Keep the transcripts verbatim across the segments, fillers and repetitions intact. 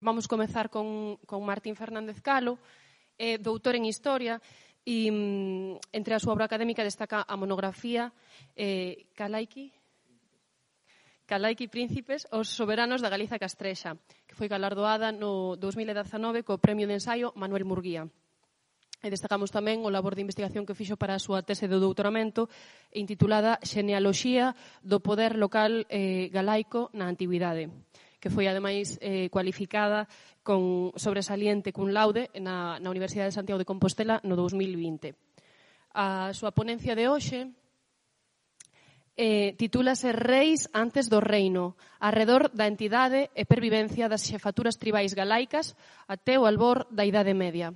Vamos comezar con, con Martín Fernández Calo, é doutor en Historia e mm, entre a súa obra académica destaca a monografía eh, Calaiki, Calaiki Príncipes, os soberanos da Galiza Castrexa, que foi galardoada no dous mil dezanove co Premio de Ensaio Manuel Murguía. E destacamos tamén o labor de investigación que fixo para a súa tese de doutoramento intitulada Xenealoxía do poder local eh, galaico na Antigüidade, que foi, ademais, eh, cualificada con sobresaliente cun laude na, na Universidade de Santiago de Compostela no dous mil vinte. A súa ponencia de hoxe eh, titúlase Reis antes do reino, arredor da entidade e pervivencia das xefaturas tribais galaicas até o albor da Idade Media.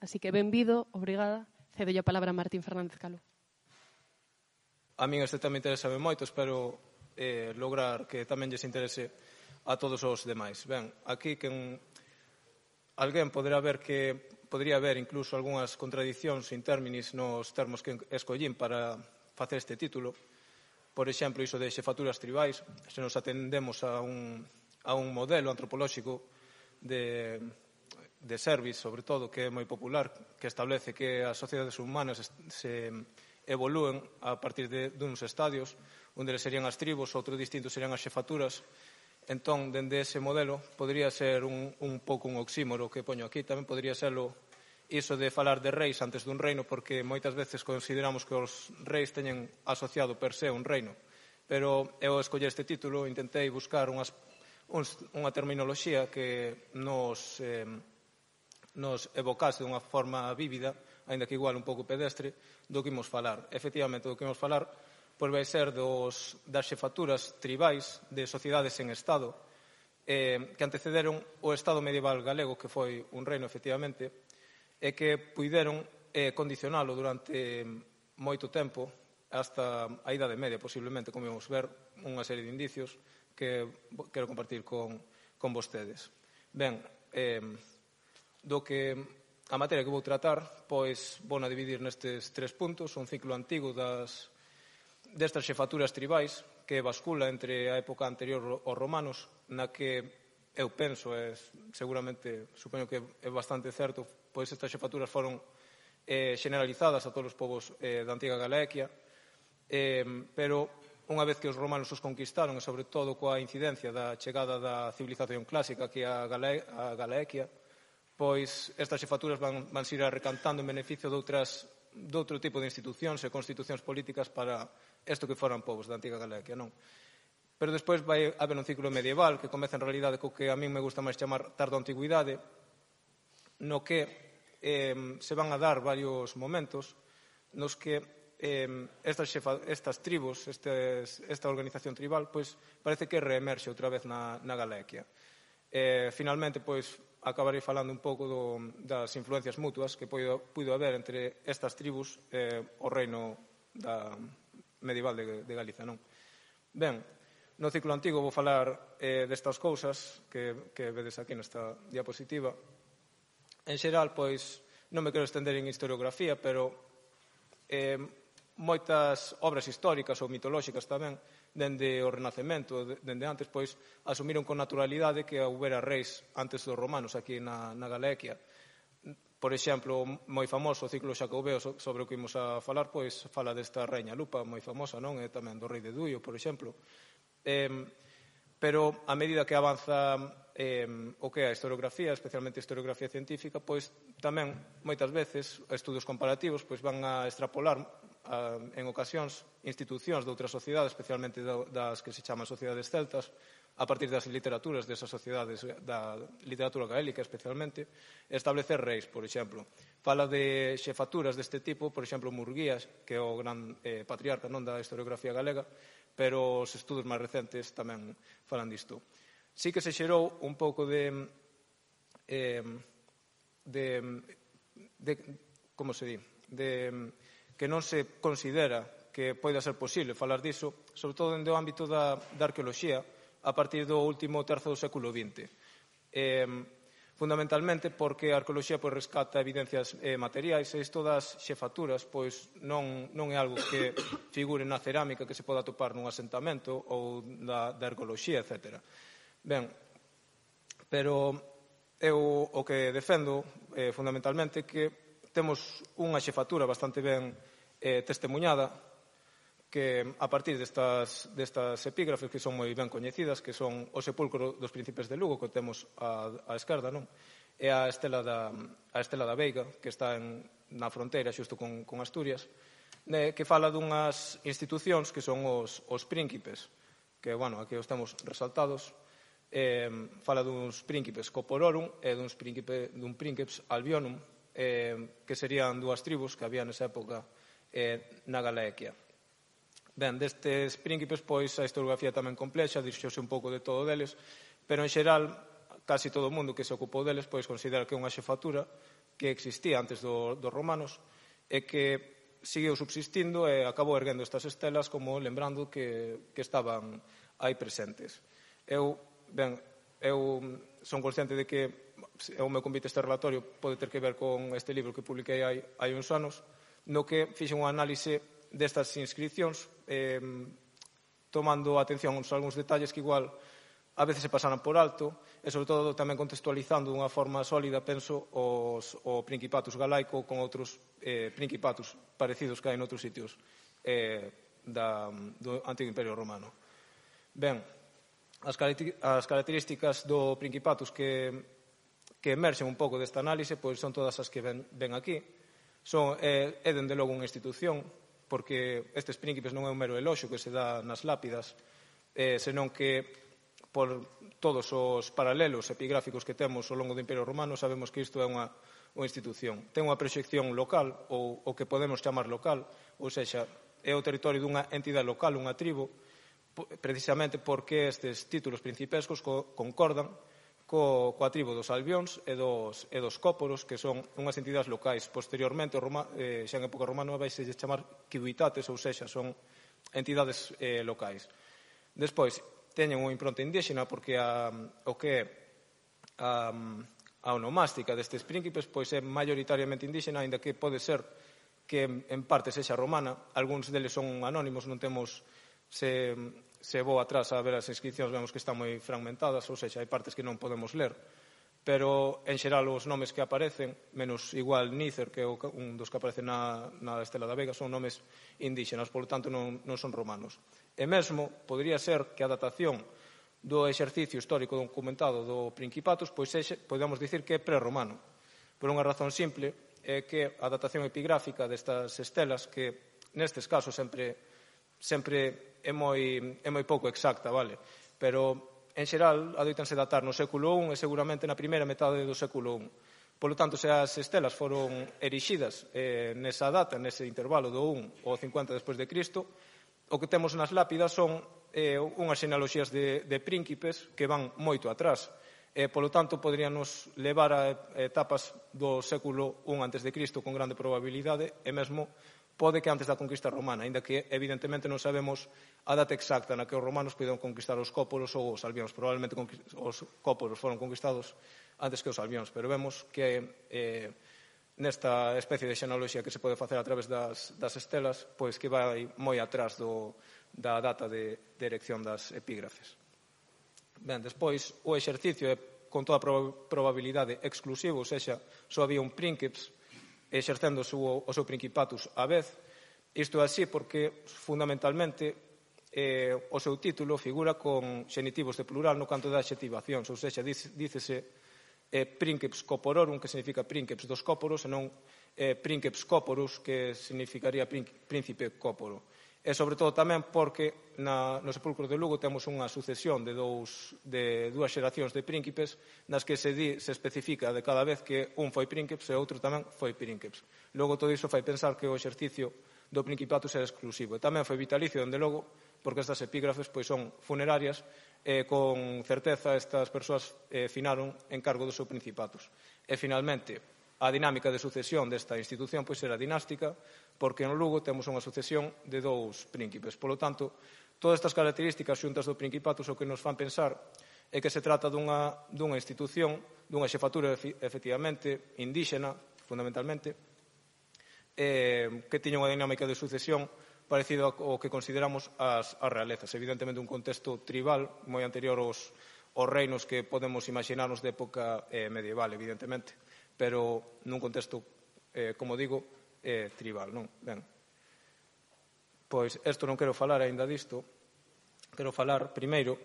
Así que, benvido, obrigada. Cedo a palabra a Martín Fernández Calo. A min este tema interesa moito, espero eh, lograr que tamén lles interese a todos os demais. Ben, aquí quen alguén poderá ver que podría haber incluso algunhas contradicións in términis nos termos que escollín para facer este título. Por exemplo, iso de xefaturas tribais, se nos atendemos a un, a un modelo antropolóxico de, de service, sobre todo, que é moi popular, que establece que as sociedades humanas se evolúen a partir de duns estadios, un deles serían as tribos, outro distinto serían as xefaturas. Entón, dende ese modelo, podría ser un, un pouco un oxímoro que poño aquí. Tamén podría serlo iso de falar de reis antes dun reino, porque moitas veces consideramos que os reis teñen asociado per se un reino. Pero eu escoller este título, intentei buscar unhas, uns, unha terminoloxía que nos, eh, nos evocase dunha forma vívida, aínda que igual un pouco pedestre, do que imos falar. Efectivamente, do que imos falar pois vai ser dos, das xefaturas tribais de sociedades en Estado eh, que antecederon o Estado medieval galego, que foi un reino, efectivamente, e que puideron eh, condicionalo durante moito tempo, hasta a Idade Media, posiblemente, como vamos ver, unha serie de indicios que quero compartir con, con vostedes. Ben, eh, do que a materia que vou tratar, pois vou na dividir nestes tres puntos, un ciclo antigo das destas xefaturas tribais que bascula entre a época anterior aos romanos, na que eu penso, e seguramente supoño que é bastante certo, pois estas xefaturas foron eh, generalizadas a todos os povos eh, da antiga Galaequia, eh, pero unha vez que os romanos os conquistaron, e sobre todo coa incidencia da chegada da civilización clásica que é a, Galae a Galaequia, pois estas xefaturas van, van se ir recantando en beneficio de outras de outro tipo de institucións e constitucións políticas para isto que foran povos da antiga Galaequia, non? Pero despois vai haber un ciclo medieval que comeza en realidade co que a min me gusta máis chamar tardo-antigüidade, no que eh, se van a dar varios momentos nos que eh, estas, xefa, estas tribus, estes, esta organización tribal, pois parece que reemerxe outra vez na, na Galaequia. Eh, finalmente, pois, acabarei falando un pouco do, das influencias mutuas que puido, puido haber entre estas tribus e eh, o reino da medieval de, de Galiza, non? Ben, no ciclo antigo vou falar eh, destas cousas que, que vedes aquí nesta diapositiva. En xeral, pois, non me quero estender en historiografía, pero eh, moitas obras históricas ou mitolóxicas tamén, dende o Renacemento, dende antes, pois, asumiron con naturalidade que houbera reis antes dos romanos aquí na, na Galaequia. Por exemplo, moi famoso o ciclo xacobeo sobre o que imos a falar, pois, fala desta reina Lupa, moi famosa, non? E tamén do rei de Duio, por exemplo. Eh, pero, a medida que avanza eh, o que é a historiografía, especialmente a historiografía científica, pois, tamén, moitas veces, estudos comparativos, pois, van a extrapolar en ocasións institucións de outras sociedades, especialmente das que se chaman sociedades celtas, a partir das literaturas desas sociedades, da literatura gaélica especialmente, establecer reis, por exemplo. Fala de xefaturas deste tipo, por exemplo, Murguías, que é o gran eh, patriarca non da historiografía galega, pero os estudos máis recentes tamén falan disto. Sí que se xerou un pouco de, eh, de, de como se di, de que non se considera que poida ser posible falar diso, sobre todo dentro do ámbito da, da arqueoloxía, a partir do último terzo do século vinte. Eh, fundamentalmente porque a arqueoloxía pois, rescata evidencias eh, materiais e isto das xefaturas pois, non, non é algo que figure na cerámica que se poda atopar nun asentamento ou da, da arqueoloxía, etcétera. Ben, pero eu o que defendo eh, fundamentalmente que temos unha xefatura bastante ben eh, testemunhada que a partir destas, destas epígrafes que son moi ben coñecidas, que son o sepulcro dos príncipes de Lugo, que temos á, á esquerda, non? E a estela da, a estela da Veiga, que está en, na fronteira xusto con, con Asturias, ne, que fala dunhas institucións que son os, os príncipes, que, bueno, aquí os temos resaltados, eh, fala duns príncipes Copororum e duns príncipe, dun príncips Albionum, eh, que serían dúas tribus que había nesa época eh, na Galaequia. Ben, destes príncipes, pois, a historiografía tamén complexa, dixose un pouco de todo deles, pero, en xeral, casi todo o mundo que se ocupou deles, pois, considera que é unha xefatura que existía antes do, dos romanos e que seguiu subsistindo e acabou erguendo estas estelas como lembrando que, que estaban aí presentes. Eu, ben, eu son consciente de que o meu convite a este relatorio pode ter que ver con este libro que publiquei hai, hai uns anos, no que fixen un análise destas inscripcións, eh, tomando atención a algúns detalles que igual a veces se pasaran por alto, e sobre todo tamén contextualizando dunha forma sólida, penso, os, o Principatus galaico con outros eh, Principatus parecidos que hai noutros sitios eh, da, do Antigo Imperio Romano. Ben, as, as características do Principatus que, que emerxen un pouco desta análise pois son todas as que ven, ven aquí. Son, é, é dende logo unha institución, porque estes príncipes non é un mero eloxo que se dá nas lápidas, eh, senón que por todos os paralelos epigráficos que temos ao longo do Imperio Romano sabemos que isto é unha, unha institución. Ten unha proxección local, ou o que podemos chamar local, ou sexa, é o territorio dunha entidade local, unha tribo, precisamente porque estes títulos principescos co, concordan co, coa tribo dos albións e dos, e dos cóporos, que son unhas entidades locais. Posteriormente, Roma, eh, xa en época romana, vais a chamar ciuditates, ou sexa, son entidades eh, locais. Despois, teñen unha impronta indígena, porque a, o que é a, a onomástica destes príncipes pois é maioritariamente indígena, aínda que pode ser que en parte sexa romana. Algúns deles son anónimos, non temos... Se, se vou atrás a ver as inscripcións vemos que están moi fragmentadas, ou seja, hai partes que non podemos ler, pero en xeral os nomes que aparecen, menos igual Nícer, que é un dos que aparece na, na Estela da Vega, son nomes indígenas, polo tanto non, non son romanos. E mesmo podría ser que a datación do exercicio histórico documentado do Principatus pois exe, podemos dicir que é prerromano, por unha razón simple, é que a datación epigráfica destas estelas, que nestes casos sempre sempre é moi, é moi pouco exacta, vale? Pero, en xeral, adoitanse datar no século I e seguramente na primeira metade do século I. Polo tanto, se as estelas foron erixidas eh, nesa data, nese intervalo do I ao cincuenta despois de Cristo, o que temos nas lápidas son eh, unhas xenealoxías de, de príncipes que van moito atrás. Eh, polo tanto, poderíanos levar a etapas do século I antes de Cristo con grande probabilidade e mesmo pode que antes da conquista romana, aínda que evidentemente non sabemos a data exacta na que os romanos puderon conquistar os cóporos ou os albións. Probablemente os cóporos foron conquistados antes que os albións, pero vemos que eh, nesta especie de xenealoxía que se pode facer a través das, das estelas, pois que vai moi atrás do, da data de, de erección das epígrafes. Ben, despois, o exercicio é con toda probabilidade exclusivo, ou sexa, só había un príncips exercendo o seu, o seu principatus á vez. Isto é así porque, fundamentalmente, eh, o seu título figura con xenitivos de plural no canto das adxetivacións, ou seja, dícese eh, Princeps Copororum, que significa Princeps dos Cóporos, e non eh, Princeps Cóporus, que significaría Príncipe Cóporo. E, sobre todo, tamén porque na, no sepulcro de Lugo temos unha sucesión de, dous, de dúas xeracións de príncipes nas que se, di, se especifica de cada vez que un foi príncipe e outro tamén foi príncipe. Logo, todo iso fai pensar que o exercicio do principatus era exclusivo. E tamén foi vitalicio, dende logo, porque estas epígrafes pois, son funerarias e con certeza estas persoas eh, finaron en cargo do seu principatus. E, finalmente, a dinámica de sucesión desta institución pois era dinástica, porque en Lugo temos unha sucesión de dous príncipes. Polo tanto, todas estas características xuntas do principatus o que nos fan pensar é que se trata dunha, dunha institución, dunha xefatura efectivamente indíxena, fundamentalmente, eh, que tiña unha dinámica de sucesión parecido ao que consideramos as, as realezas. Evidentemente un contexto tribal moi anterior aos, os reinos que podemos imaginarnos de época eh, medieval, evidentemente, pero nun contexto, eh, como digo, eh, tribal, non? Ben, pois, isto non quero falar aínda disto, quero falar, primeiro,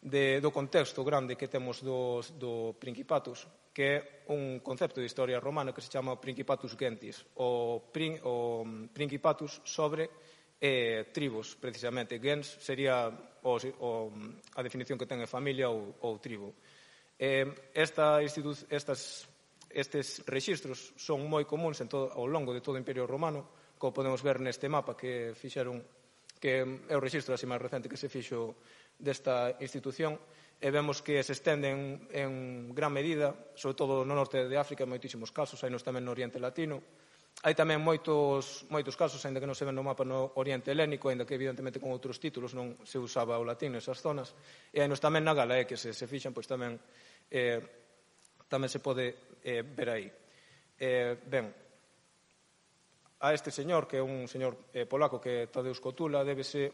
de, do contexto grande que temos dos, do Principatus, que é un concepto de historia romana que se chama Principatus Gentis, o, prin, o Principatus sobre eh, tribos, precisamente. Gens sería o, o, a definición que ten a familia ou, ou tribo. Eh, esta estas, estes rexistros son moi comuns en todo, ao longo de todo o Imperio Romano, como podemos ver neste mapa que fixeron, que é o rexistro así máis recente que se fixo desta institución, e vemos que se estenden en gran medida, sobre todo no norte de África, en moitísimos casos, hai nos tamén no Oriente Latino. Hai tamén moitos, moitos casos, ainda que non se ven no mapa, no Oriente Helénico, ainda que evidentemente con outros títulos non se usaba o latín nesas zonas, e hai nos tamén na Gala, que se, se fixan, pois tamén eh, tamén se pode eh, ver aí. Eh, ben, a este señor, que é un señor eh, polaco que é Tadeusz Kotula, débese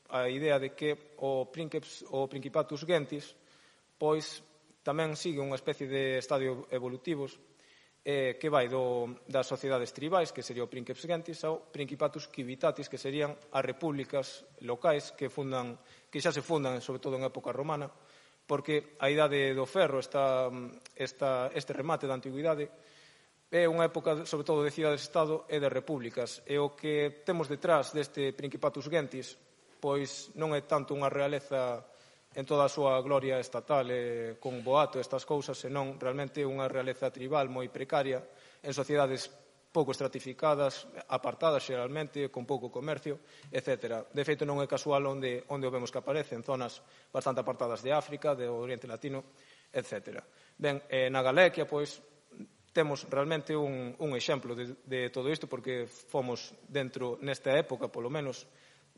a idea de que o, Princeps, o Principatus Gentis pois tamén sigue unha especie de estadio evolutivos eh, que vai do, das sociedades tribais, que sería o Princeps Gentis, ao Principatus Civitatis, que serían as repúblicas locais que fundan, que xa se fundan, sobre todo en época romana, porque a idade do ferro, esta, esta, este remate da antigüidade, é unha época, sobre todo, de cidades-estado e de repúblicas. E o que temos detrás deste Principatus Gentis pois non é tanto unha realeza en toda a súa gloria estatal e con boato estas cousas, senón realmente unha realeza tribal moi precaria en sociedades pouco estratificadas, apartadas xeralmente, con pouco comercio, etcétera. De feito, non é casual onde, onde o vemos que aparece, en zonas bastante apartadas de África, de Oriente Latino, etcétera. Ben, eh, na Galequia, pois, temos realmente un, un exemplo de, de todo isto, porque fomos dentro, nesta época, polo menos,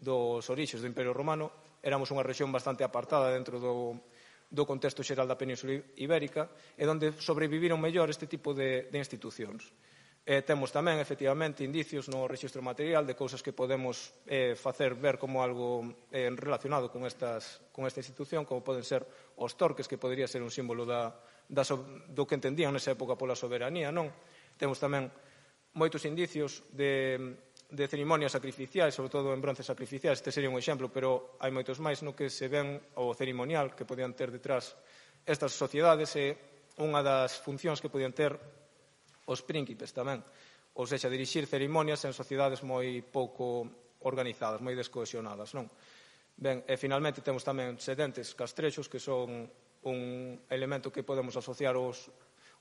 dos orixes do Imperio Romano, éramos unha rexión bastante apartada dentro do, do contexto xeral da Península Ibérica e onde sobreviviron mellor este tipo de, de institucións. Eh, temos tamén, efectivamente, indicios no rexistro material de cousas que podemos eh, facer ver como algo eh, relacionado con, estas, con esta institución, como poden ser os torques, que podría ser un símbolo da, da, do que entendían nesa época pola soberanía, non? Temos tamén moitos indicios de de cerimonias sacrificiais, sobre todo en bronce sacrificiais. Este sería un exemplo, pero hai moitos máis no que se ven o cerimonial que podían ter detrás estas sociedades e unha das funcións que podían ter os príncipes tamén, ou seja, dirixir cerimonias en sociedades moi pouco organizadas, moi descohesionadas, non? Ben, e finalmente temos tamén sedentes castrexos, que son un elemento que podemos asociar aos,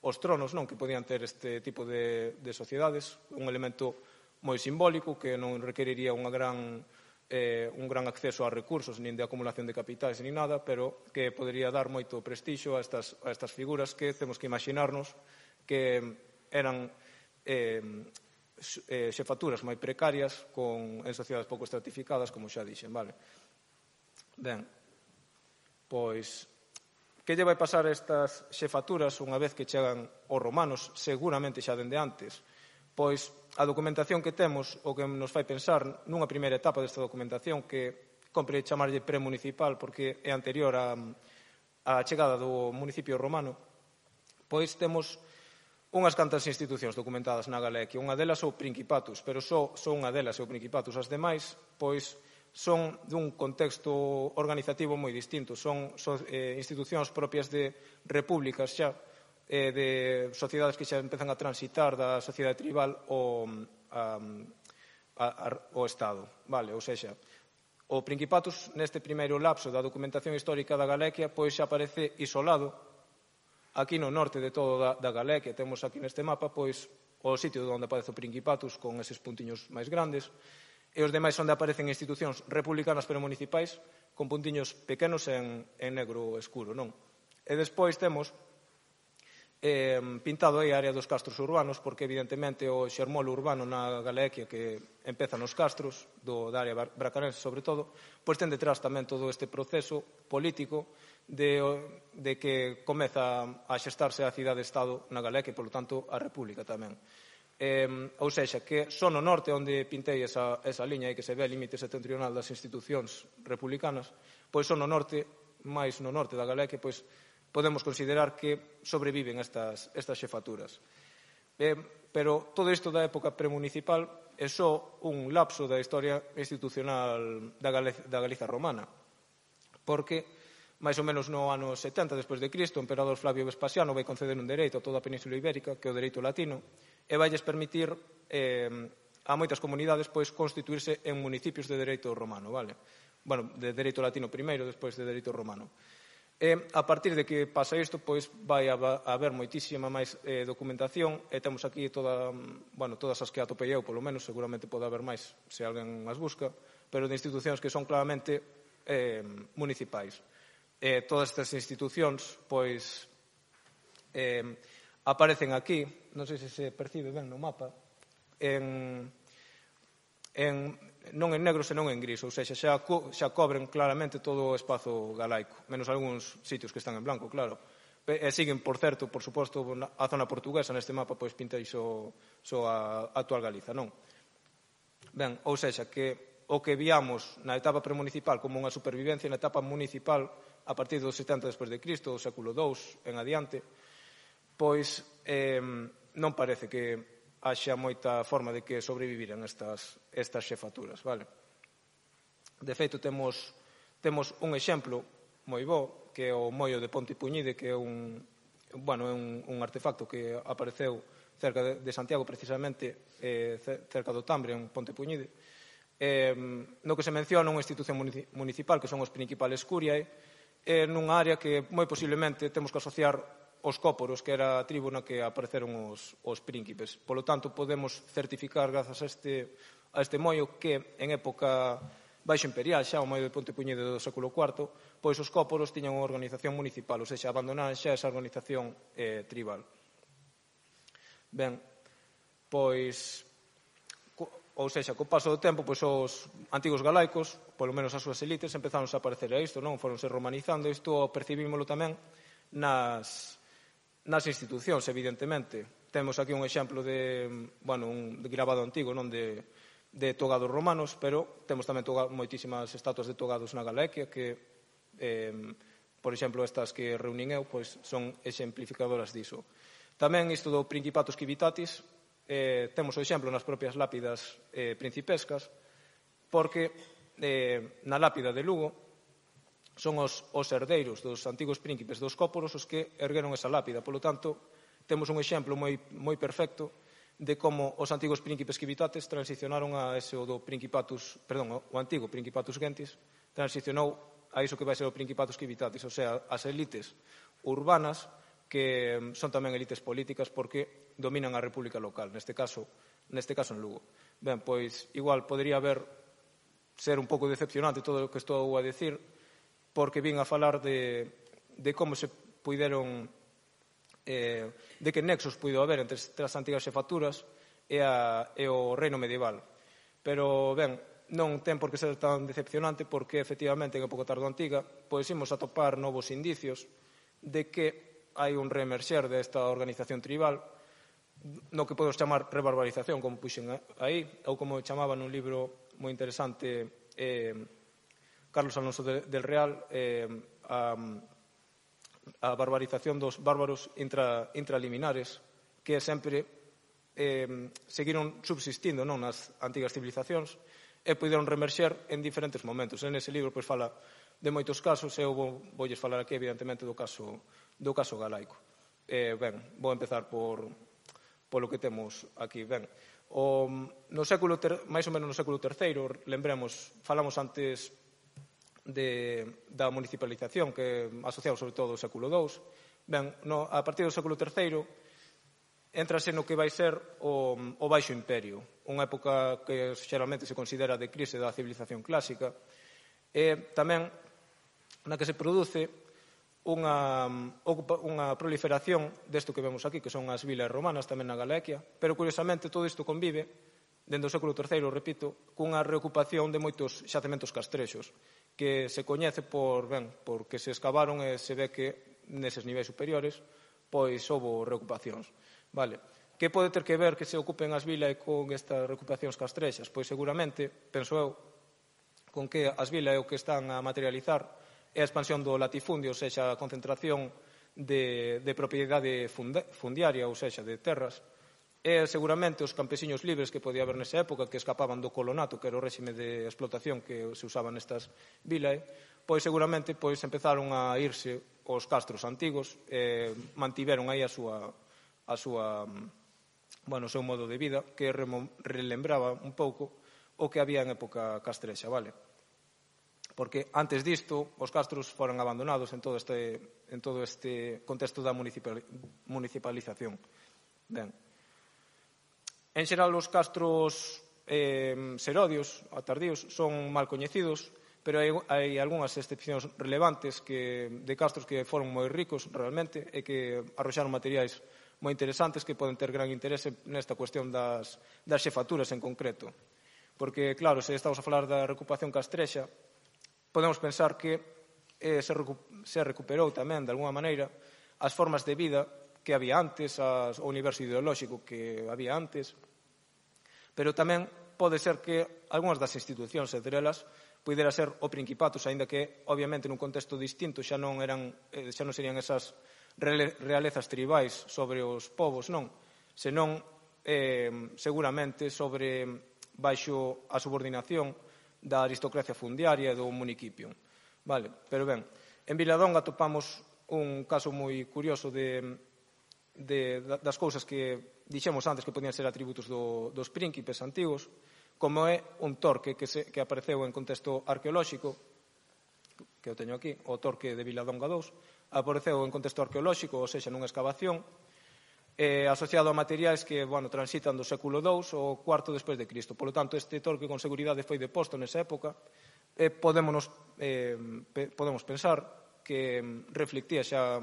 aos tronos, non? Que podían ter este tipo de, de sociedades, un elemento moi simbólico, que non requeriría unha gran, eh, un gran acceso a recursos, nin de acumulación de capitais, nin nada, pero que podría dar moito prestixio a estas, a estas figuras que temos que imaginarnos que eran eh, eh, xefaturas moi precarias con, en sociedades pouco estratificadas, como xa dixen, vale? Ben, pois, que lle vai pasar a estas xefaturas unha vez que chegan os romanos, seguramente xa dende antes? Pois, a documentación que temos, o que nos fai pensar nunha primeira etapa desta documentación, que compre chamarlle premunicipal porque é anterior á, á chegada do municipio romano, pois temos unhas cantas institucións documentadas na Galequia. Unha delas é o Principatus, pero só, só unha delas é o Principatus. As demais, pois, son dun contexto organizativo moi distinto. Son, son eh, institucións propias de repúblicas xa, eh, de sociedades que xa empezan a transitar da sociedade tribal ao, a, a, a, ao Estado. Vale, ou seja, o Principatus, neste primeiro lapso da documentación histórica da Galequia, pois xa aparece isolado aquí no norte de todo da, da Galequia. Temos aquí neste mapa pois o sitio onde aparece o Principatus con eses puntiños máis grandes, e os demais onde aparecen institucións republicanas pero municipais con puntiños pequenos en, en negro escuro, non? E despois temos eh, pintado aí a área dos castros urbanos, porque evidentemente o xermolo urbano na Galequia, que empeza nos castros do, da área bracarense sobre todo, pois ten detrás tamén todo este proceso político de, de que comeza a xestarse a cidade-estado na Galequia e, polo tanto, a república tamén. Eh, ou seja, que son no norte onde pintei esa, esa liña aí que se ve a límite setentrional das institucións republicanas, pois son no norte máis no norte da Galicia, pois podemos considerar que sobreviven estas, estas xefaturas. Eh, pero todo isto da época premunicipal é só un lapso da historia institucional da Galiza, da Galiza romana, porque máis ou menos no ano setenta despois de Cristo, o emperador Flavio Vespasiano vai conceder un dereito a toda a Península Ibérica, que é o dereito latino, e vailles permitir eh, a moitas comunidades pois constituirse en municipios de dereito romano, vale? Bueno, de dereito latino primeiro, despois de dereito romano. E a partir de que pasa isto, pois vai a haber moitísima máis eh, documentación, e temos aquí toda, bueno, todas as que atopei eu, polo menos, seguramente pode haber máis se alguén as busca, pero de institucións que son claramente eh, municipais. Eh, todas estas institucións, pois, eh, aparecen aquí, non sei se se percibe ben no mapa, en, en, non en negro, senón en gris, ou seja, xa, co, xa cobren claramente todo o espazo galaico, menos algúns sitios que están en blanco, claro. E siguen, por certo, por suposto, a zona portuguesa neste mapa, pois pinta iso so a, a actual Galiza, non? Ben, ou seja, que o que viamos na etapa premunicipal como unha supervivencia, na etapa municipal, a partir dos setenta despois de Cristo, do século dous en adiante, pois eh, non parece que haxa moita forma de que sobreviviran estas, estas xefaturas, vale? De feito, temos, temos un exemplo moi bo, que é o moio de Ponte Puñide, que é un, bueno, é un, un artefacto que apareceu cerca de, de Santiago, precisamente, eh, cerca do Tambre, en Ponte Puñide, eh, no que se menciona unha institución municipal, que son os principales curiae, eh, nunha área que moi posiblemente temos que asociar os cóporos, que era a tribu na que apareceron os, os príncipes. Polo tanto, podemos certificar, grazas a este, a este moio, que en época baixo imperial, xa o moio de Ponte Puñide do século cuarto, pois os cóporos tiñan unha organización municipal, ou seja, abandonaran xa esa organización eh, tribal. Ben, pois, ou seja, co paso do tempo, pois os antigos galaicos, polo menos as súas elites, empezaron a aparecer a isto, non? Foronse romanizando, isto percibímolo tamén nas, nas institucións, evidentemente. Temos aquí un exemplo de, bueno, un de grabado antigo, non de, de togados romanos, pero temos tamén toga, moitísimas estatuas de togados na Galicia que, eh, por exemplo, estas que reunín eu, pois son exemplificadoras diso. Tamén isto do Principatus Civitatis, eh, temos o exemplo nas propias lápidas eh, principescas, porque eh, na lápida de Lugo son os, os herdeiros dos antigos príncipes dos cóporos os que ergueron esa lápida. Polo tanto, temos un exemplo moi, moi perfecto de como os antigos príncipes civitates transicionaron a ese o do Principatus, perdón, o antigo Principatus Gentis, transicionou a iso que vai ser o Principatus Civitatis, ou sea, as elites urbanas que son tamén elites políticas porque dominan a república local, neste caso, neste caso en Lugo. Ben, pois, igual podría haber ser un pouco decepcionante todo o que estou a decir, porque vin a falar de, de como se puideron, eh, de que nexos puido haber entre as antigas xefaturas e, a, e o reino medieval. Pero, ben, non ten por que ser tan decepcionante porque, efectivamente, en época tardoantiga, pois imos atopar novos indicios de que hai un reemerxer desta organización tribal no que podemos chamar rebarbarización, como puxen aí, ou como chamaban nun libro moi interesante eh, Carlos Alonso de, del Real, eh, a, a barbarización dos bárbaros intra, intraliminares, que sempre eh, seguiron subsistindo non nas antigas civilizacións e puderon reemerxer en diferentes momentos. En ese libro pois fala de moitos casos, e eu vou, voulles falar aquí, evidentemente, do caso, do caso galaico. Eh, ben, vou empezar por, polo que temos aquí. Ben, o, no século ter, máis ou menos no século terceiro, lembremos, falamos antes de, da municipalización, que asociamos sobre todo ao século dous. Ben, no, a partir do século terceiro, entrase no que vai ser o, o Baixo Imperio, unha época que xeralmente se considera de crise da civilización clásica, e tamén na que se produce unha, unha proliferación desto que vemos aquí, que son as vilas romanas tamén na Galicia, pero curiosamente todo isto convive, dende o século terceiro, repito, cunha reocupación de moitos xacementos castrexos, que se coñece por, ben, porque se escavaron e se ve que neses niveis superiores pois houve reocupacións. Vale. Que pode ter que ver que se ocupen as vilas con estas reocupacións castrexas? Pois seguramente, penso eu, con que as vilas é o que están a materializar é a expansión do latifundio, ou seja, a concentración de, de propiedade fundiaria, ou seja, de terras, e seguramente os campesiños libres que podía haber nesa época, que escapaban do colonato, que era o réxime de explotación que se usaba nestas vilas, pois seguramente pois empezaron a irse os castros antigos, e mantiveron aí a súa, a súa, bueno, o seu modo de vida, que relembraba un pouco o que había en época castrexa, vale? Porque antes disto os castros foron abandonados en todo este, en todo este contexto da municipalización. Ben, en xeral, os castros eh, serodios, tardíos, son mal coñecidos, pero hai, hai algunhas excepcións relevantes que, de castros que foron moi ricos realmente e que arroxaron materiais moi interesantes que poden ter gran interese nesta cuestión das, das xefaturas en concreto. Porque, claro, se estamos a falar da recuperación castrexa, podemos pensar que eh, se, recu se recuperou tamén, de alguma maneira, as formas de vida que había antes, as, o universo ideolóxico que había antes, pero tamén pode ser que algunhas das institucións, entre elas, pudera ser o Principatus, aínda que, obviamente, nun contexto distinto xa non eran, eh, xa non serían esas realezas tribais sobre os povos, non, senón eh, seguramente sobre baixo a subordinación da aristocracia fundiaria e do municipio. Vale, pero ben, en Viladonga topamos un caso moi curioso de De, das cousas que dixemos antes que podían ser atributos do, dos príncipes antigos, como é un torque que, se, que apareceu en contexto arqueolóxico, que eu teño aquí, o torque de Viladonga dous, apareceu en contexto arqueolóxico, ou seja, nunha excavación, eh, asociado a materiais que, bueno, transitan do século dous ou cuarto despois de Cristo. Por lo tanto, este torque con seguridade foi deposto nesa época, e podemos, eh, pe, podemos pensar que reflectía xa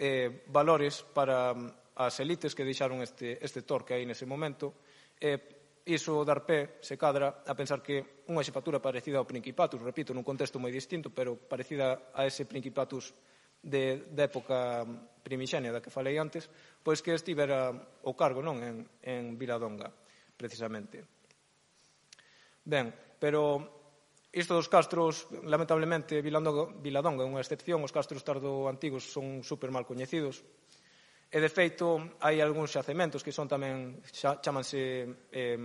Eh, valores para as elites que deixaron este, este torque aí nese momento. Eh, iso dar pé, se cadra, a pensar que unha xefatura parecida ao Principatus, repito, nun contexto moi distinto, pero parecida a ese Principatus de, de época primixenia da que falei antes, pois que estivera o cargo, non, en, en Viladonga, precisamente. Ben, pero isto dos castros, lamentablemente, Viladonga, Viladonga é unha excepción, os castros tardo antigos son super mal coñecidos, e de feito hai algúns xacementos que son tamén, xa, chamanse eh,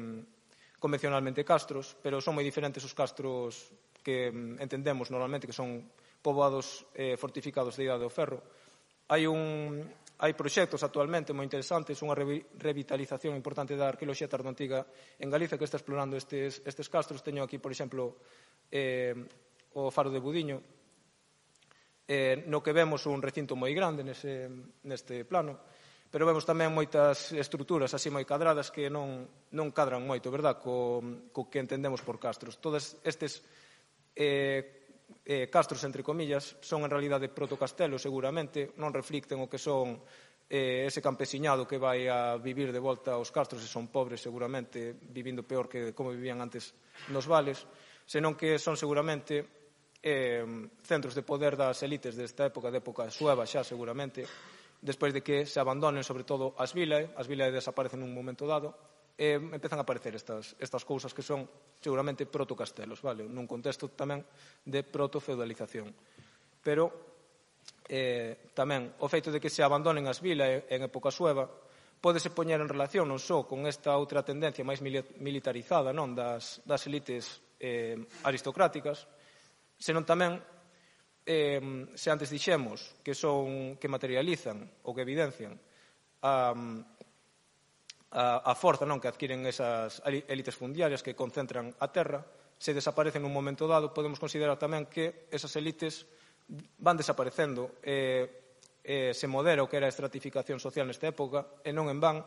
convencionalmente castros, pero son moi diferentes os castros que entendemos normalmente que son poboados eh, fortificados de Idade do Ferro. Hai un... Hai proxectos actualmente moi interesantes, unha revitalización importante da arqueoloxía tardoantiga en Galicia que está explorando estes, estes castros. Teño aquí, por exemplo, eh, o Faro de Budiño, eh, no que vemos un recinto moi grande nese, neste plano, pero vemos tamén moitas estruturas así moi cadradas que non, non cadran moito, verdad, co, co que entendemos por castros. Todos estes eh, Eh, castros, entre comillas, son en realidade protocastelos, seguramente, non reflicten o que son eh, ese campesiñado que vai a vivir de volta aos castros e son pobres, seguramente, vivindo peor que como vivían antes nos vales, senón que son seguramente eh, centros de poder das elites desta época, de época sueva xa, seguramente, despois de que se abandonen, sobre todo, as vilae, as vilae desaparecen nun momento dado, e empezan a aparecer estas, estas cousas que son seguramente protocastelos, vale? Nun contexto tamén de protofeudalización. Pero eh, tamén o feito de que se abandonen as vilas en época sueva pódese poñer en relación non só con esta outra tendencia máis militarizada, non, das, das elites eh, aristocráticas, senón tamén eh, se antes dixemos que son que materializan ou que evidencian a a, a forza, non, que adquiren esas élites fundiarias que concentran a terra, se desaparecen nun momento dado, podemos considerar tamén que esas élites van desaparecendo e, e se modera o que era a estratificación social nesta época, e non en van.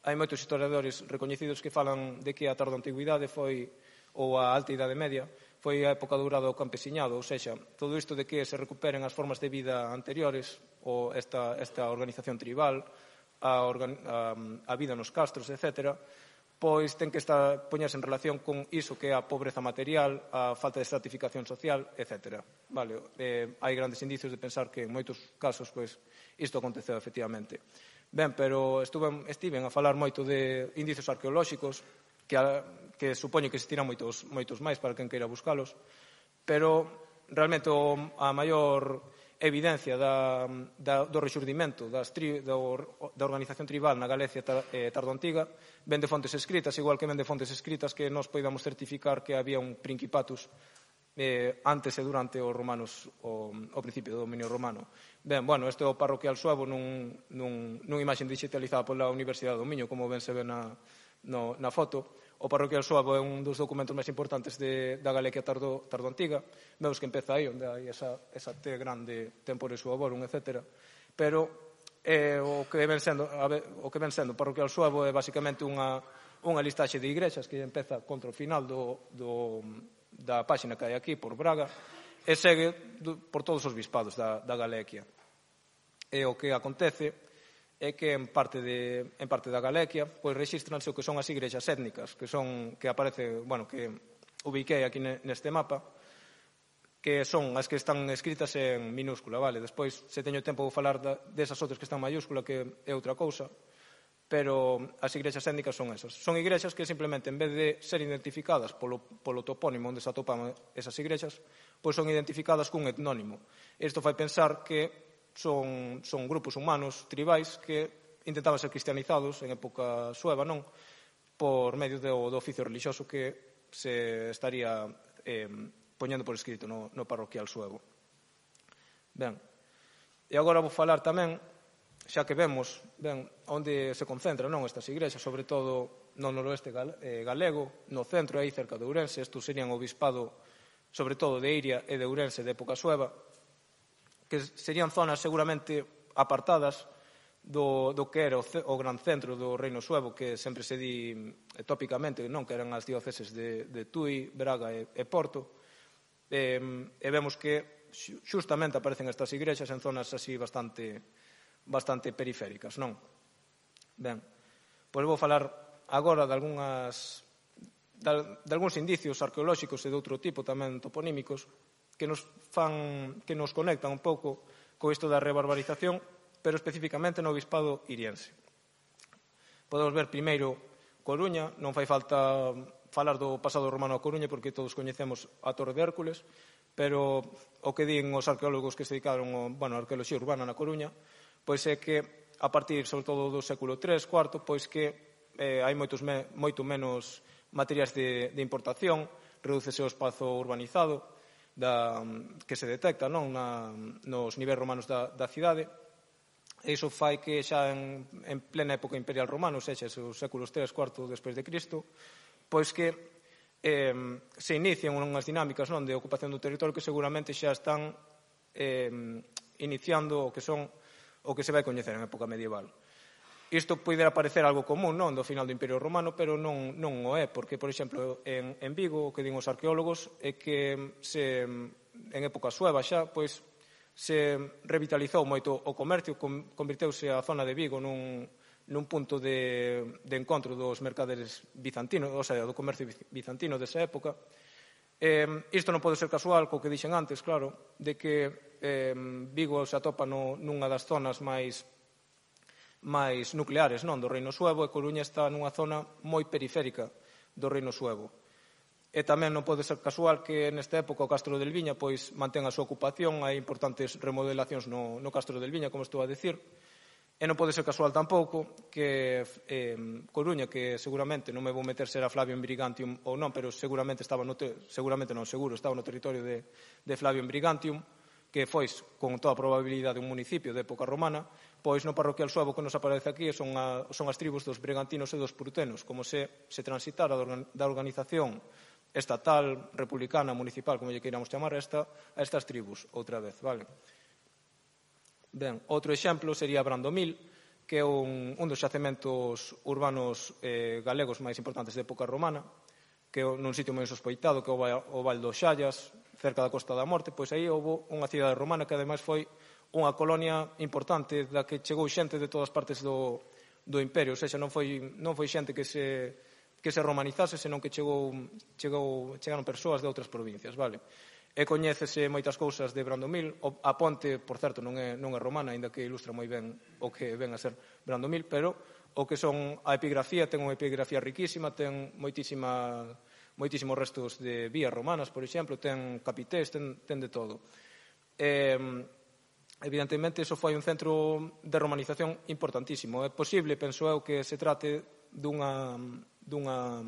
Hai moitos historiadores recoñecidos que falan de que a tardoantigüidade foi, ou a alta idade media, foi a época dourada do campesiñado, ou seja, todo isto de que se recuperen as formas de vida anteriores, ou esta, esta organización tribal, A, organ, a, a vida nos castros, etcétera, pois ten que estar poñerse en relación con iso que é a pobreza material, a falta de estratificación social, etcétera. Vale, eh, hai grandes indicios de pensar que en moitos casos pois isto aconteceu efectivamente. Ben, pero estuve, estiven a falar moito de indicios arqueolóxicos que, a, que supoño que existirán moitos, moitos máis para quen queira buscalos, pero realmente o, a maior evidencia da, da, do rexurdimento das tri, do, da organización tribal na Galicia tar, eh, tardoantiga ven de fontes escritas, igual que ven de fontes escritas que nos podamos certificar que había un principatus eh, antes e durante os romanos o, o principio do dominio romano. Ben, bueno, este é o parroquial suevo nun, nun, nunha imaxe digitalizada pola Universidade do Miño, como ben se ve na, no, na foto. O parroquial suevo é un dos documentos máis importantes de, da Galicia tardo, tardo antiga. Vemos que empeza aí, onde hai esa, esa T grande, tempore suavorum, etcétera. Pero eh, o que ven sendo, o que ven sendo o parroquial suevo é basicamente unha, unha listaxe de igrexas que empeza contra o final do, do, da páxina que hai aquí, por Braga, e segue do, por todos os bispados da, da Galicia. E o que acontece é que en parte, de, en parte da Galicia pois rexístranse o que son as igrexas étnicas que son que aparece, bueno, que ubiquei aquí neste mapa, que son as que están escritas en minúscula, vale? Despois, se teño tempo, vou falar da, desas outras que están en mayúscula, que é outra cousa, pero as igrexas étnicas son esas. Son igrexas que simplemente, en vez de ser identificadas polo, polo topónimo onde se atopan esas igrexas, pois son identificadas cun etnónimo. Isto fai pensar que Son, son grupos humanos tribais que intentaban ser cristianizados en época sueva, non? Por medio do, do oficio religioso que se estaría eh, poñendo por escrito no, no parroquial suevo. Ben, e agora vou falar tamén, xa que vemos ben, onde se concentran non, estas igrexas, sobre todo no noroeste galego, no centro, aí cerca de Ourense. Estos serían o bispado, sobre todo de Iria e de Ourense de época sueva, que serían zonas seguramente apartadas do, do que era o, o gran centro do reino suevo, que sempre se di tópicamente, non, que eran as dióceses de, de Tui, Braga e, e Porto, e, e vemos que xustamente aparecen estas igrexas en zonas así bastante, bastante periféricas, non? Ben, pois vou falar agora de algunhas de, de algúns indicios arqueolóxicos e de outro tipo tamén toponímicos que nos fan, que nos conectan un pouco co isto da rebarbarización, pero especificamente no bispado iriense. Podemos ver primeiro Coruña, non fai falta falar do pasado romano a Coruña porque todos coñecemos a Torre de Hércules, pero o que din os arqueólogos que se dedicaron ao, bueno, a arqueoloxía urbana na Coruña, pois é que a partir, sobre todo, do século tres, cuarto, pois que eh, hai moitos me, moito menos materiais de, de importación, redúcese o espazo urbanizado, Da, que se detecta non, na, nos niveis romanos da, da cidade, e iso fai que xa en, en plena época imperial romana, ou seja, os séculos tres, cuarto despois de Cristo, pois que eh, se inician unhas dinámicas non, de ocupación do territorio que seguramente xa están eh, iniciando o que son o que se vai coñecer en época medieval. Isto poderá parecer algo común non do final do Imperio Romano, pero non, non o é, porque, por exemplo, en, en Vigo, o que din os arqueólogos é que se, en época sueva xa, pois, se revitalizou moito o comercio, convirteuse a zona de Vigo nun, nun punto de, de encontro dos mercaderes bizantinos, ou sea, do comercio bizantino desa época. Eh, isto non pode ser casual, co que dixen antes, claro, de que eh, Vigo se atopa no, nunha das zonas máis máis nucleares non do reino suevo, e Coruña está nunha zona moi periférica do reino suevo. E tamén non pode ser casual que nesta época o Castro del Viña pois mantén a súa ocupación, hai importantes remodelacións no, no Castro del Viña, como estou a dicir, e non pode ser casual tampouco que eh, Coruña, que seguramente non me vou meter se era Flavio Brigantium ou non, pero seguramente estaba no te, seguramente non seguro, estaba no territorio de, de Flavio Brigantium, que foi, con toda a probabilidade, un municipio de época romana, pois no parroquial suevo que nos aparece aquí son, a, son as tribus dos brigantinos e dos prutenos, como se, se transitara da organización estatal, republicana, municipal, como lle queiramos chamar, a, esta, a estas tribus, outra vez, vale? Ben, outro exemplo sería Brandomil, que é un, un dos xacementos urbanos eh, galegos máis importantes de época romana, que é nun sitio moi sospeitado, que é o Val dos Xallas, cerca da Costa da Morte, pois aí houve unha cidade romana que ademais foi unha colonia importante da que chegou xente de todas partes do, do imperio, ou seja, non foi, non foi xente que se, que se romanizase, senón que chegou, chegou, chegaron persoas de outras provincias, vale? E coñécese moitas cousas de Brandomil, a ponte, por certo, non é, non é romana, aínda que ilustra moi ben o que ven a ser Brandomil, pero o que son a epigrafía, ten unha epigrafía riquísima, ten moitísima moitísimos restos de vías romanas, por exemplo, ten capités, ten, ten de todo. Eh, evidentemente, iso foi un centro de romanización importantísimo. É posible, penso eu, que se trate dunha, dunha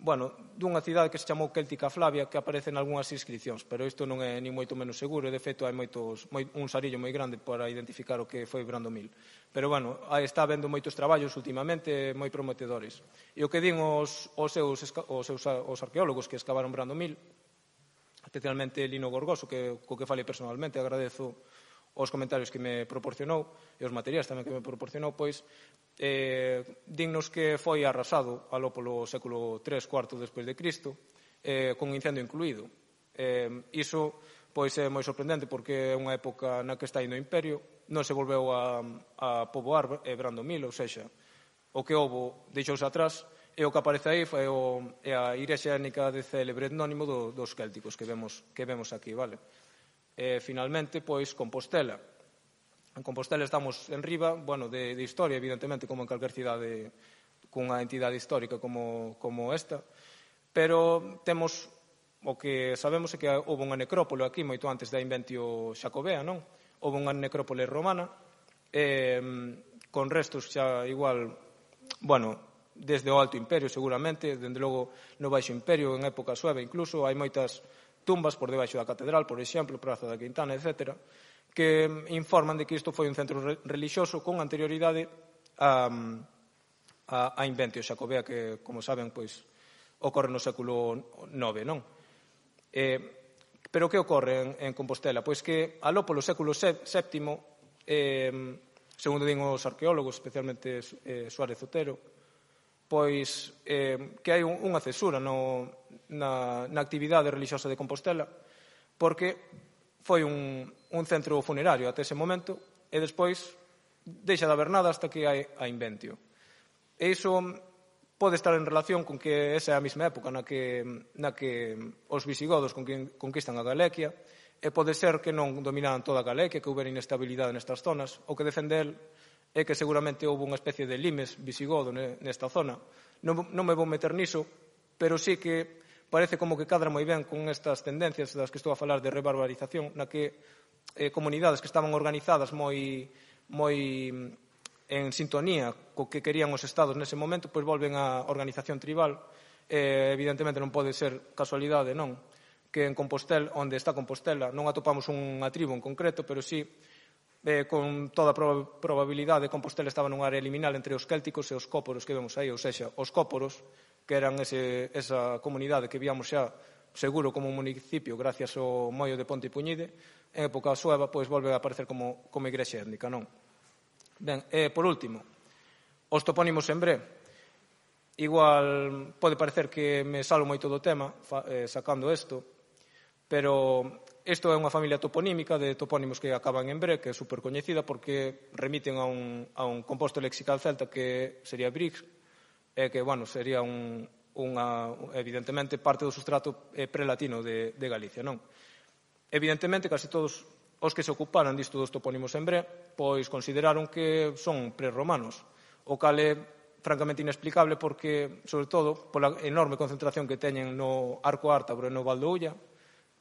bueno, dunha cidade que se chamou Céltica Flavia, que aparece en algunhas inscripcións, pero isto non é ni moito menos seguro, e de feito hai moitos, moi, un sarillo moi grande para identificar o que foi Brandomil. Pero, bueno, aí está habendo moitos traballos últimamente moi prometedores. E o que din os, os, seus, os seus os arqueólogos que excavaron Brandomil, especialmente Lino Gorgoso, que, co que falei personalmente, agradezo os comentarios que me proporcionou e os materiais tamén que me proporcionou, pois eh, dignos que foi arrasado aló polo século tres, cuarto despois de Cristo, eh, con incendio incluído. Eh, iso pois é moi sorprendente porque é unha época na que está indo o Imperio, non se volveu a, a poboar eh, Brandomil, ou seja, o que houbo deixouse atrás, e o que aparece aí foi o, é a igrexa étnica de célebre etnónimo do, dos célticos que vemos, que vemos aquí, vale? E, finalmente, pois, Compostela. En Compostela estamos en riba, bueno, de, de historia, evidentemente, como en calquer cidade cunha entidade histórica como, como esta, pero temos, o que sabemos é que houve unha necrópole aquí moito antes da inventio xacobea, non? Houve unha necrópole romana, eh, con restos xa igual, bueno, desde o Alto Imperio, seguramente, dende logo no Baixo Imperio, en época sueve incluso, hai moitas tumbas por debaixo da catedral, por exemplo, Praza da Quintana, etcétera, que informan de que isto foi un centro relixioso con anterioridade a, a, a inventio xacobea que, como saben, pois, ocorre no século nove, non? Eh, pero que ocorre en, en Compostela? Pois que aló polo século séptimo, eh, segundo din os arqueólogos, especialmente eh, Suárez Otero, pois eh, que hai unha cesura no, na, na actividade religiosa de Compostela, porque foi un, un centro funerario até ese momento, e despois deixa de haber nada hasta que hai a inventio. E iso pode estar en relación con que esa é a mesma época na que, na que os visigodos conquistan a Galequia, e pode ser que non dominaran toda a Galequia, que houbera inestabilidade nestas zonas. O que defende el é que seguramente houve unha especie de limes visigodo nesta zona. Non, non me vou meter niso, pero sí que parece como que cadra moi ben con estas tendencias das que estou a falar de rebarbarización, na que eh, comunidades que estaban organizadas moi, moi en sintonía co que querían os estados nese momento, pois volven á organización tribal. Eh, evidentemente non pode ser casualidade, non? Que en Compostela, onde está Compostela, non atopamos unha tribu en concreto, pero sí Eh, con toda prob probabilidade Compostela estaba nunha área liminal entre os célticos e os cóporos que vemos aí, ou seja, os cóporos, que eran ese, esa comunidade que víamos xa seguro como un municipio gracias ao mollo de Ponte Puñide, en época sueva, pois volve a aparecer como, como igrexa étnica, non? Ben, e por último, os topónimos en Bre. Igual pode parecer que me salo moito do tema fa, eh, sacando isto, pero isto é unha familia toponímica de topónimos que acaban en Bre, que é supercoñecida porque remiten a un, a un composto lexical celta que sería Brix, e que, bueno, sería un, unha, evidentemente, parte do sustrato prelatino de, de Galicia, non? Evidentemente, casi todos os que se ocuparan disto dos topónimos en Bre, pois consideraron que son prerromanos, o cal é francamente inexplicable porque, sobre todo, pola enorme concentración que teñen no Arco Ártabro e no Val do Ulla,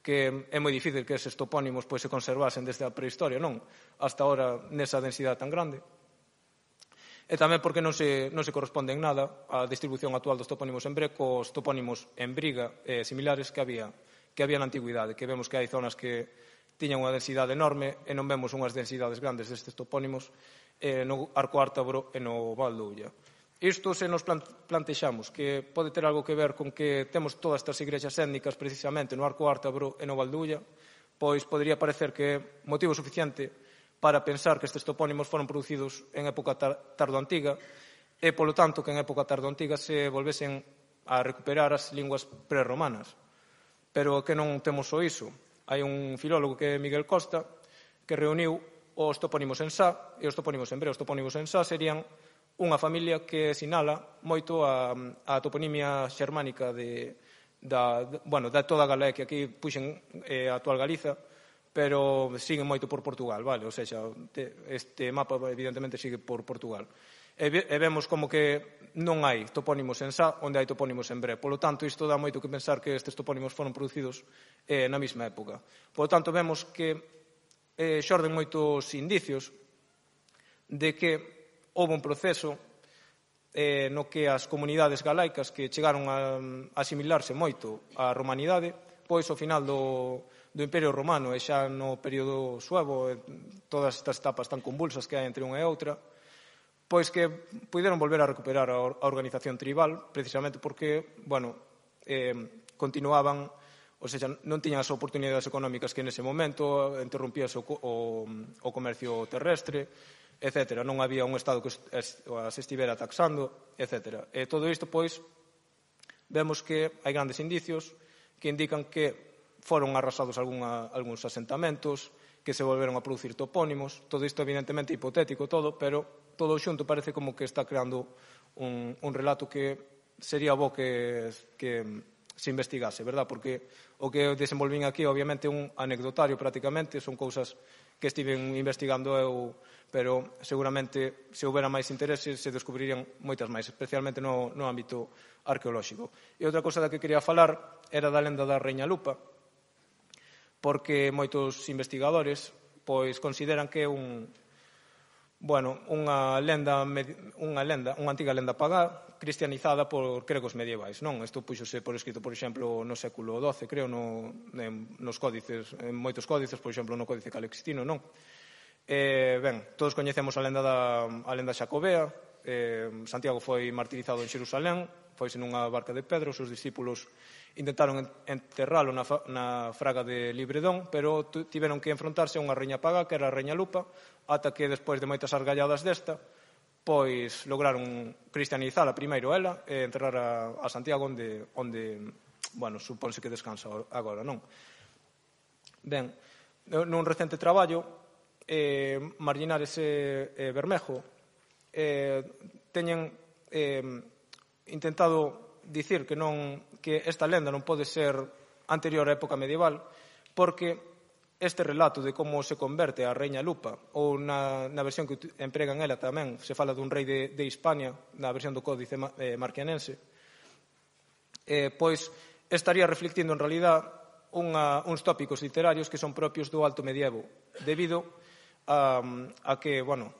que é moi difícil que eses topónimos pois, se conservasen desde a prehistoria, non? Hasta ahora nesa densidade tan grande. E tamén porque non se, non se corresponde en nada a distribución actual dos topónimos en Bre cos topónimos en Briga eh, similares que había, que había na antigüidade, que vemos que hai zonas que tiñan unha densidade enorme e non vemos unhas densidades grandes destes topónimos eh, no Arco Ártabro e no Val do Ulla. Isto se nos plantexamos que pode ter algo que ver con que temos todas estas igrexas étnicas precisamente no Arco Ártabro e no Val do Ulla, pois podería parecer que é motivo suficiente para pensar que estes topónimos foron producidos en época tardoantiga e, polo tanto, que en época tardoantiga se volvesen a recuperar as linguas prerromanas. Pero que non temos só iso. Hai un filólogo que é Miguel Costa que reuniu os topónimos en Sá e os topónimos en Bre. Os topónimos en Sá serían unha familia que sinala moito a, a toponimia xermánica de, da, de, bueno, da toda a Galicia, que aquí puxen eh, a actual Galiza, pero siguen moito por Portugal, vale? O sea, este mapa evidentemente sigue por Portugal. E, e vemos como que non hai topónimos en Sá onde hai topónimos en Bre. Polo tanto, isto dá moito que pensar que estes topónimos foron producidos eh, na mesma época. Polo tanto, vemos que eh, xorden moitos indicios de que houve un proceso eh, no que as comunidades galaicas que chegaron a, a asimilarse moito á romanidade, pois ao final do, do Imperio Romano e xa no período suevo, todas estas etapas tan convulsas que hai entre unha e outra, pois que puderon volver a recuperar a organización tribal, precisamente porque, bueno, eh, continuaban, ou seja, non tiñan as oportunidades económicas que nese momento, interrumpíase o, o, o comercio terrestre, etcétera. Non había un Estado que as estivera taxando, etcétera. E todo isto, pois, vemos que hai grandes indicios que indican que foron arrasados alguna, algúns asentamentos, que se volveron a producir topónimos. Todo isto, evidentemente, hipotético todo, pero todo xunto parece como que está creando un, un relato que sería bo que, que se investigase, verdad? Porque o que desenvolvín aquí, obviamente, un anecdotario prácticamente, son cousas que estiven investigando eu, pero seguramente se houbera máis interese se descubrirían moitas máis, especialmente no, no ámbito arqueolóxico. E outra cousa da que quería falar era da lenda da Reña Lupa, porque moitos investigadores pois consideran que é un bueno, unha lenda, unha lenda, unha antiga lenda pagá cristianizada por gregos medievais, non? Isto puxose por escrito, por exemplo, no século doce, creo, no, nos códices, en moitos códices, por exemplo, no Códice Calixtino, non? Eh, ben, todos coñecemos a lenda da a lenda xacobea. eh, Santiago foi martirizado en Xerusalén, foise nunha barca de pedra, os seus discípulos intentaron enterralo na, na fraga de Libredón, pero tiveron que enfrontarse a unha reña pagá, que era a Reña Lupa, ata que, despois de moitas argalladas desta, pois lograron cristianizala primeiro ela e enterrar a, a Santiago onde, onde, bueno, supónse que descansa agora, non? Ben, nun recente traballo, eh, Marllinares e eh, Bermejo eh, teñen eh, intentado dicir que non que esta lenda non pode ser anterior á época medieval, porque este relato de como se converte a Reña Lupa, ou na, na versión que empregan ela tamén, se fala dun rei de, de Hispania, na versión do Códice eh, Marquianense, eh, pois estaría reflectindo en realidad unha, uns tópicos literarios que son propios do Alto Medievo, debido a, a que, bueno,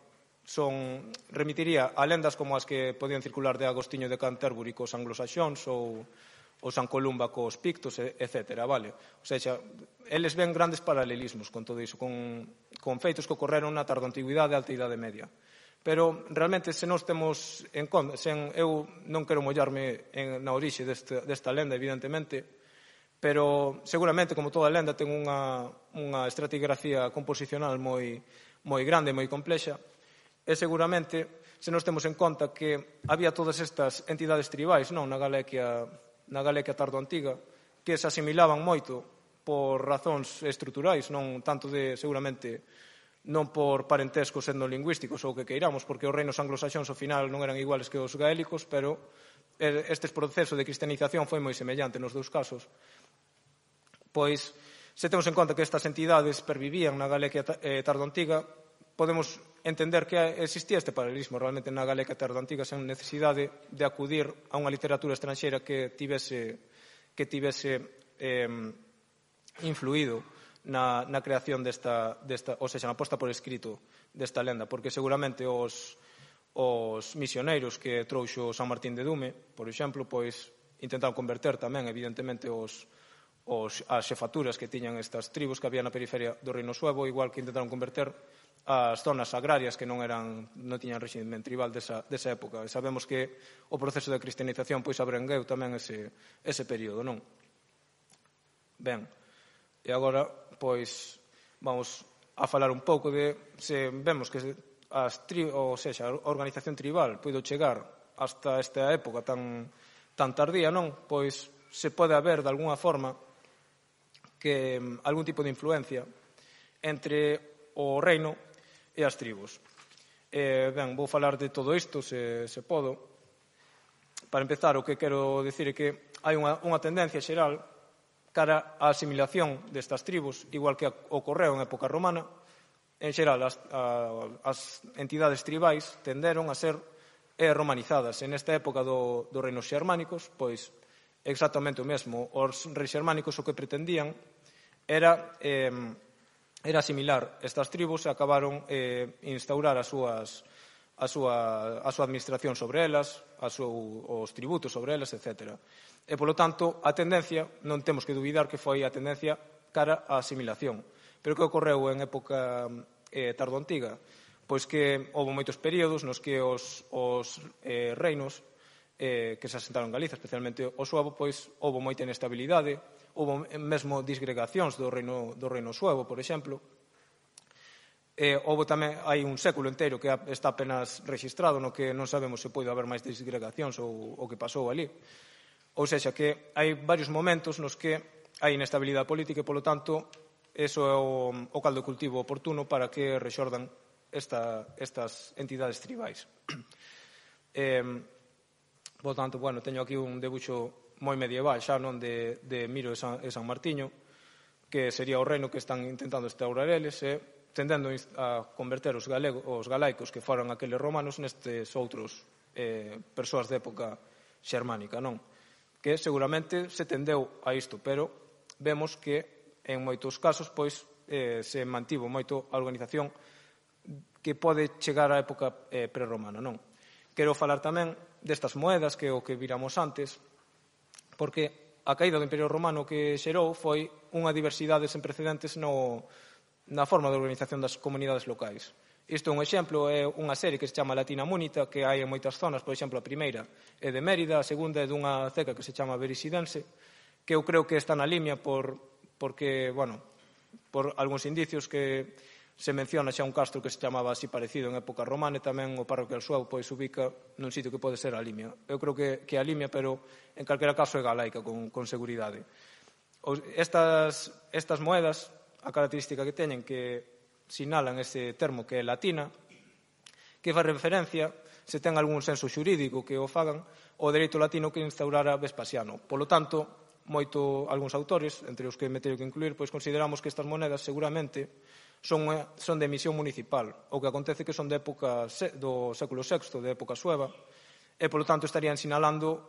son, remitiría a lendas como as que podían circular de Agostiño de Canterbury cos anglosaxóns ou o San Columba cos pictos, etcétera, vale? O sea, eles ven grandes paralelismos con todo iso, con, con feitos que ocorreron na tardo antigüidade e alta idade media. Pero, realmente, se nós temos en conta, sen, eu non quero mollarme en, na orixe deste, desta lenda, evidentemente, pero, seguramente, como toda lenda, ten unha, unha estratigrafía composicional moi, moi grande, moi complexa, e, seguramente, se nós temos en conta que había todas estas entidades tribais, non, na Galicia na Galicia tardo antiga, que se asimilaban moito por razóns estruturais, non tanto de, seguramente, non por parentescos etnolingüísticos ou que queiramos, porque os reinos anglosaxóns ao final non eran iguales que os gaélicos, pero este proceso de cristianización foi moi semellante nos dous casos. Pois, se temos en conta que estas entidades pervivían na Galicia tardo antiga, podemos entender que existía este paralelismo realmente na Galicia tardo antiga sen necesidade de acudir a unha literatura estranxeira que tivese, que tivese eh, influído na, na creación desta, desta, ou seja, na posta por escrito desta lenda, porque seguramente os, os misioneiros que trouxo San Martín de Dume, por exemplo, pois intentaron converter tamén, evidentemente, os, os, as xefaturas que tiñan estas tribus que había na periferia do Reino Suevo, igual que intentaron converter as zonas agrarias que non eran non tiñan réximen tribal desa, desa época. E sabemos que o proceso de cristianización pois abrangueu tamén ese, ese período, non? Ben, e agora, pois, vamos a falar un pouco de se vemos que as tri, ou sexa, a organización tribal puido chegar hasta esta época tan, tan tardía, non? Pois se pode haber, de alguna forma, que algún tipo de influencia entre o reino e as tribus. Eh, ben, vou falar de todo isto, se, se podo. Para empezar, o que quero dicir é que hai unha, unha tendencia xeral cara á asimilación destas tribus, igual que ocorreu en época romana. En xeral, as, a, as entidades tribais tenderon a ser e romanizadas. E nesta época do, dos reinos xermánicos, pois exactamente o mesmo. Os reis xermánicos o que pretendían era, eh, era asimilar estas tribus e acabaron eh, instaurar as súas, a, súa, a súa administración sobre elas, a súa, os tributos sobre elas, etcétera. E, polo tanto, a tendencia, non temos que duvidar que foi a tendencia cara á asimilación. Pero que ocorreu en época eh, tardoantiga? Pois que houve moitos períodos nos que os, os eh, reinos eh, que se asentaron en Galiza, especialmente o suevo, pois houve moita inestabilidade, houve mesmo disgregacións do reino, do reino suevo, por exemplo. Eh, houve tamén, hai un século inteiro que está apenas registrado no que non sabemos se pode haber máis disgregacións ou o que pasou ali. Ou seja, que hai varios momentos nos que hai inestabilidade política e, polo tanto, eso é o, o caldo de cultivo oportuno para que rexordan esta, estas entidades tribais. Eh, por tanto, bueno, teño aquí un debuxo moi medieval xa, non, de, de Miro e San, e San Martiño, que sería o reino que están intentando instaurar eles e tendendo a converter os, galego, os galaicos que foran aqueles romanos nestes outros eh, persoas de época xermánica, non? Que seguramente se tendeu a isto, pero vemos que en moitos casos pois eh, se mantivo moito a organización que pode chegar á época eh, prerromana, non? Quero falar tamén destas moedas que o que viramos antes, porque a caída do Imperio Romano que xerou foi unha diversidade sen precedentes no, na forma de organización das comunidades locais. Isto é un exemplo, é unha serie que se chama Latina Munita, que hai en moitas zonas, por exemplo, a primeira é de Mérida, a segunda é dunha ceca que se chama Berisidense, que eu creo que está na limia por, porque, bueno, por algúns indicios que se menciona xa un castro que se chamaba así parecido en época romana e tamén o parroquial suevo pois ubica nun sitio que pode ser a Limia. Eu creo que, que a Limia, pero en calquera caso é galaica con, con seguridade. Estas, estas moedas, a característica que teñen que sinalan ese termo que é latina, que fai referencia, se ten algún senso xurídico que o fagan, o dereito latino que instaurara Vespasiano. Polo tanto, moito algúns autores, entre os que me teño que incluir, pois consideramos que estas monedas seguramente son, son de emisión municipal, o que acontece que son de época do século sexto, de época sueva, e, polo tanto, estarían sinalando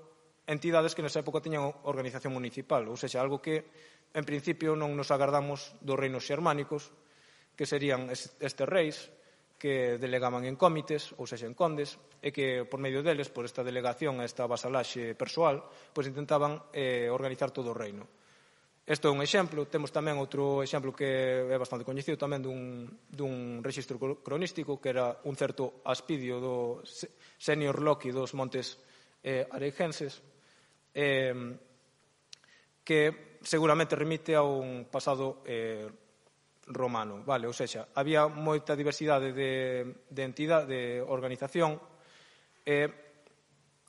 entidades que nesa época tiñan organización municipal, ou seja, algo que, en principio, non nos agardamos dos reinos xermánicos, que serían estes reis, que delegaban en cómites, ou seja, en condes, e que, por medio deles, por esta delegación, esta vasalaxe persoal, pois intentaban eh, organizar todo o reino. Isto é un exemplo. Temos tamén outro exemplo que é bastante coñecido tamén dun, dun rexistro cronístico que era un certo Aspidio do Senior Loki dos Montes eh, Areigenses eh, que seguramente remite a un pasado eh, romano, vale? Ou seja, había moita diversidade de, de entidade, de organización e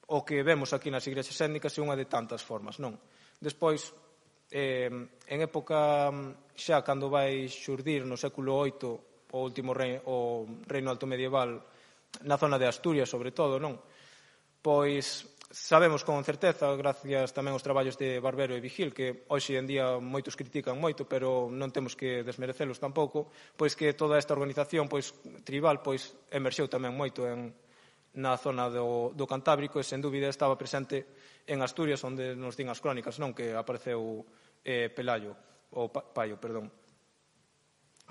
o que vemos aquí nas igrexas étnicas é unha de tantas formas, non? Despois, Eh, en época xa cando vai xurdir no século oito o último reino, o reino alto medieval na zona de Asturias sobre todo, non? Pois sabemos con certeza, gracias tamén aos traballos de Barbero e Vigil, que hoxe en día moitos critican moito, pero non temos que desmerecelos tampouco, pois que toda esta organización pois tribal pois emerxeu tamén moito en na zona do, do Cantábrico e, sen dúbida, estaba presente en Asturias, onde nos din as crónicas, non, que apareceu eh, Pelayo, ou pa, Paio, perdón,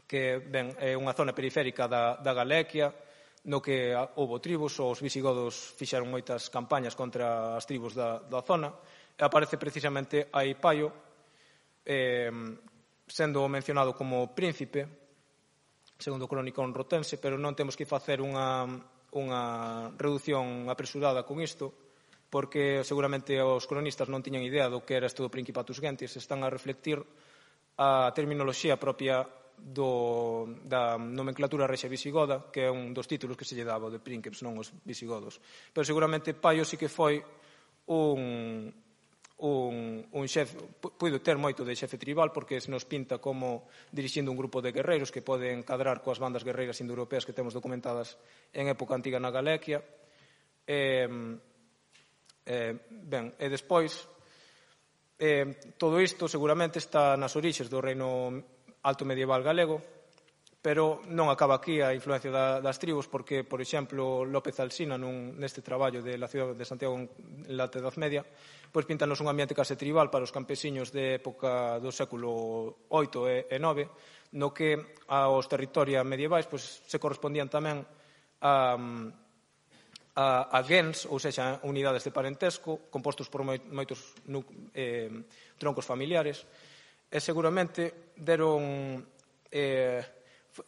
que, ben, é unha zona periférica da, da Galequia, no que houve tribus, os visigodos fixeron moitas campañas contra as tribus da, da zona, e aparece precisamente aí Paio, eh, sendo mencionado como príncipe, segundo o cronicón rotense, pero non temos que facer unha... unha reducción apresurada con isto, porque seguramente os cronistas non tiñan idea do que era isto do Principatus Gentis, están a reflectir a terminoloxía propia do, da nomenclatura rexa visigoda, que é un dos títulos que se lle daba de prínceps, non os visigodos. Pero seguramente Paio sí que foi un, un, un xefe, puido ter moito de xefe tribal, porque se nos pinta como dirixindo un grupo de guerreiros que poden cadrar coas bandas guerreiras indoeuropeas que temos documentadas en época antiga na Galequia. Eh, eh, ben, e despois, eh, todo isto seguramente está nas orixes do reino alto medieval galego, Pero non acaba aquí a influencia da, das tribos, porque, por exemplo, López Alsina, nun, neste traballo de la ciudad de Santiago en la Edad Media, pois pintanos un ambiente case tribal para os campesiños de época do século oito e nove, no que aos territorios medievais pois, se correspondían tamén a, a, a gens, ou seja, unidades de parentesco, compostos por moitos eh, troncos familiares, e seguramente deron... Eh,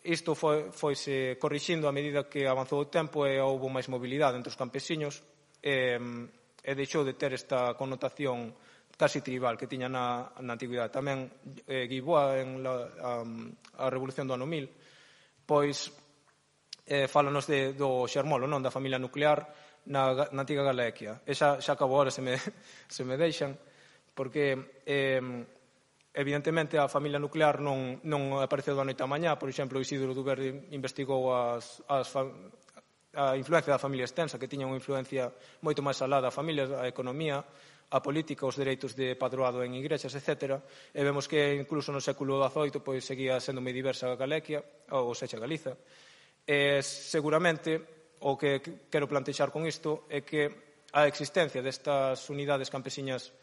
Isto foi, foise corrixindo a medida que avanzou o tempo e houve máis mobilidade entre os campesiños e, e deixou de ter esta connotación casi tribal que tiña na, na antigüidade. Tamén eh, Guiboa, en la, a, a Revolución do ano mil, pois eh, fálanos de, do xermolo, non, da familia nuclear na, na antiga Galicia. E xa, xa acabo ahora, se me, se me deixan, porque... Eh, Evidentemente, a familia nuclear non, non apareceu da noite á mañá. Por exemplo, Isidro Duverde investigou as, as, a influencia da familia extensa, que tiña unha influencia moito máis alá da familia, a economía, a política, os dereitos de padroado en igrexas, etcétera. E vemos que incluso no século dezoito pois, seguía sendo moi diversa a Galicia, ou sexa, Galiza. E seguramente, o que quero plantexar con isto é que a existencia destas unidades campesiñas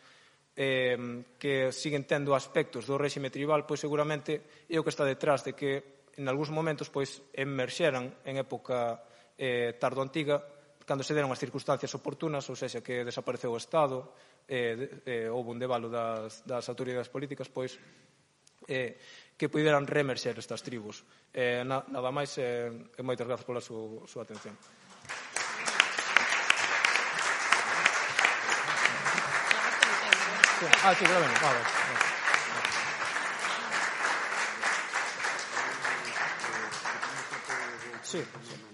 Eh, que siguen tendo aspectos do réxime tribal, pois seguramente é o que está detrás de que en algúns momentos pois emerxeran en época eh, tardo-antiga, cando se deron as circunstancias oportunas, ou seja, que desapareceu o Estado, eh, eh, houve un debalo das, das autoridades políticas, pois eh, que puderan reemerxer estas tribus. Eh, na, nada máis, eh, e moitas grazas pola súa, súa atención. Ah, sí, claro, vale. Sí, sí.